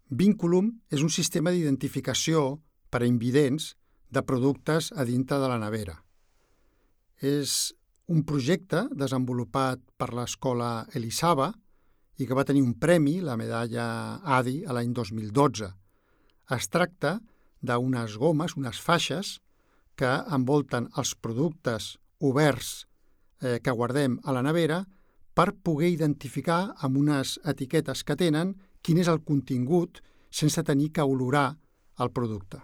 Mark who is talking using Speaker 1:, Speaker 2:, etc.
Speaker 1: Vinculum és un sistema d'identificació per a invidents de productes a dintre de la nevera. És un projecte desenvolupat per l'escola Elisava i que va tenir un premi, la medalla ADI, a l'any 2012. Es tracta d'unes gomes, unes faixes, que envolten els productes oberts que guardem a la nevera per poder identificar amb unes etiquetes que tenen quin és el contingut sense tenir que olorar el producte.